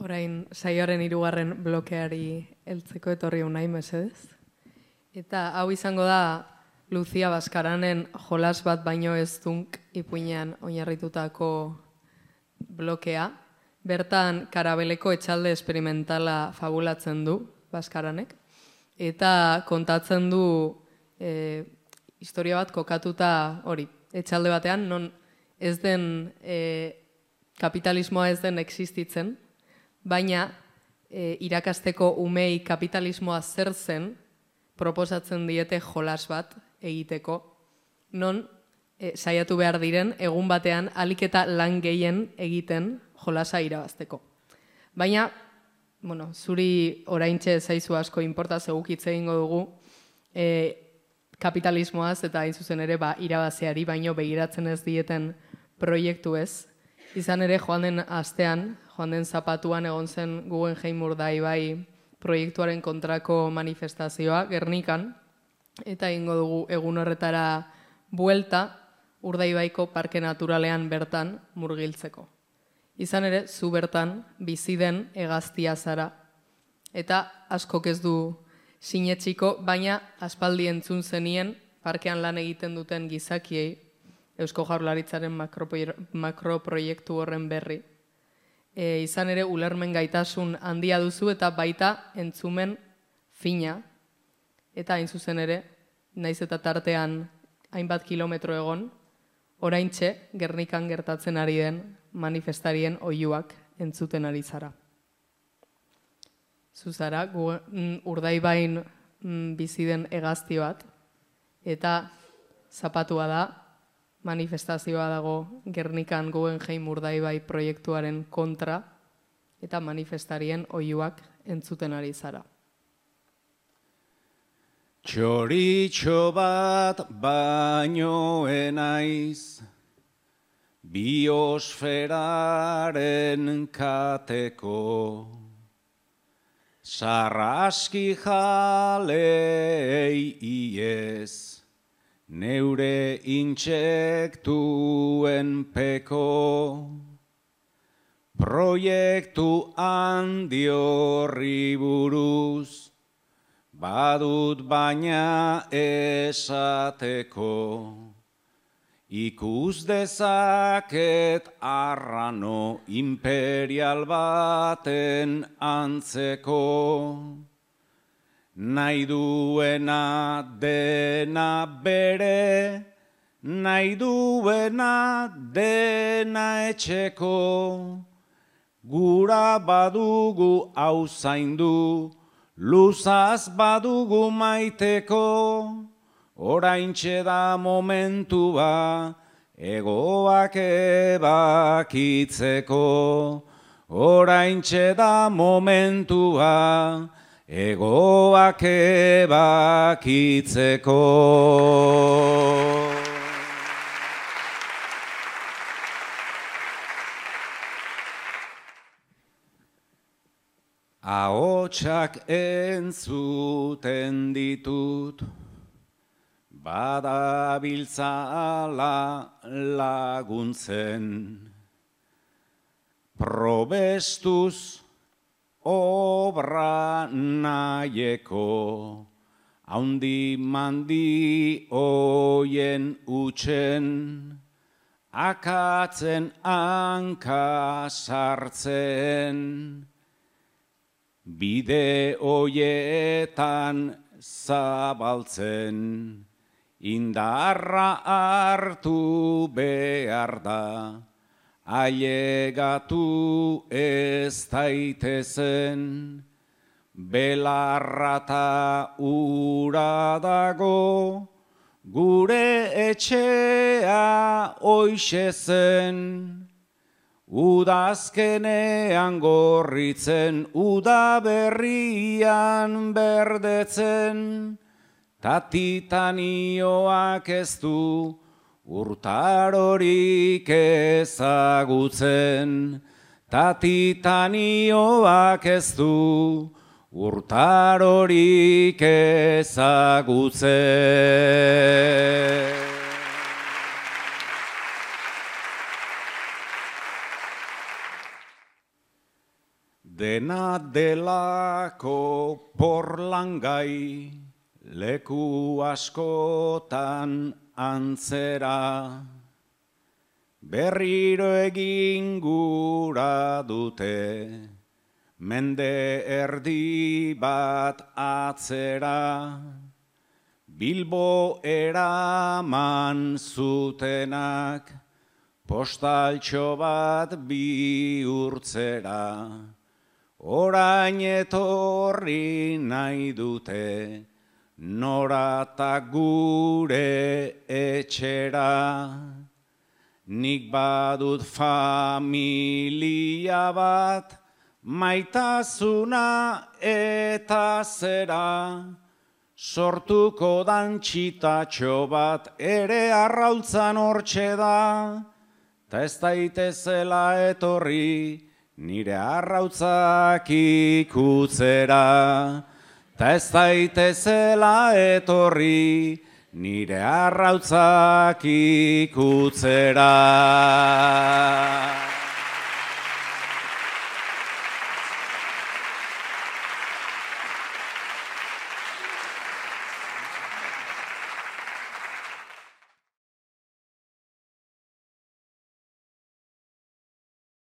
Orain saioaren 3. blokeari heltzeko etorri unai mesedez. Eta hau izango da Lucia Baskaranen jolas bat baino ez dunk ipuinean oinarritutako blokea. Bertan karabeleko etxalde esperimentala fabulatzen du Baskaranek. Eta kontatzen du historia bat kokatuta hori. Etxalde batean non ez den kapitalismoa ez den existitzen, baina irakasteko umei kapitalismoa zer zen proposatzen diete jolas bat egiteko, non saiatu behar diren egun batean ahalik eta lan gehien egiten jolasa irabazteko. Baina, zuri oraintxe zaizu asko inporta zegukitze egingo dugu kapitalismoaz eta hain zuzen ere irabazeari baino begiratzen ez dieten proiektu ez. Izan ere joan den astean, joan den zapatuan egon zen Guggenheim Urdaibai proiektuaren kontrako manifestazioa Gernikan, eta egingo dugu egun horretara buelta Urdaibaiko parke naturalean bertan murgiltzeko. Izan ere, zu bertan bizi den hegaztia zara, eta askok ez du sinetsiko, baina aspaldi entzun zenien parkean lan egiten duten gizakiei Eusko Jaurlaritzaren makroproiektu horren berri. Izan ere, ulermen gaitasun handia duzu eta baita entzumen fina. Eta hain zuzen ere, naiz eta tartean hainbat kilometro egon, oraintxe Gernikan gertatzen ari den manifestarien oihuak entzuten ari zara. Zuzara, Urdaibain bizi den hegazti bat, eta zapatua da, manifestazioa dago Gernikan Guggenheim Urdaibai proiektuaren kontra eta manifestarien oihuak entzuten ari zara. Txoritxo bat baino enaiz, biosferaren kateko, sarraski jalei iez, neure intsektuen peko, proiektu handi horri buruz, badut baina esateko, ikus dezaket arrano imperial baten antzeko, nahi duena dena bere, nahi duena dena etxeko, gura badugu hau zaindu, luzaz badugu maiteko, oraintxe da momentua egoak ebakitzeko, oraintxe da momentua egoak ebakitzeko. Ahotsak entzuten ditut, badabiltzala laguntzen, probestuz obra nahieko, haundi mandi oien utxen, akatzen hanka sartzen, bide oietan zabaltzen, indarra hartu behar da, ailegatu ez daitezen, belarrata ura dago, gure etxea hoixe zen, udazkenean gorritzen, udaberrian berdetzen, tatitanioak ez du urtarorik ezagutzen, tatitanioak ez du urtarorik ezagutzen. Dena delako porlangai, leku askotan antzera. Berriro egin gura dute, mende erdi bat atzera. Bilbo eraman zutenak, postaltxo bat bihurtzera. Orain etorri nahi dute, norata gure etxera. Nik badut familia bat, maitasuna eta zera. Sortuko dan txitatxo bat ere arrautzan hortxe da. Ta ez daitezela etorri nire arrautzak ikutzera. Ta ez daitezela etorri nire arrautzak ikutzera.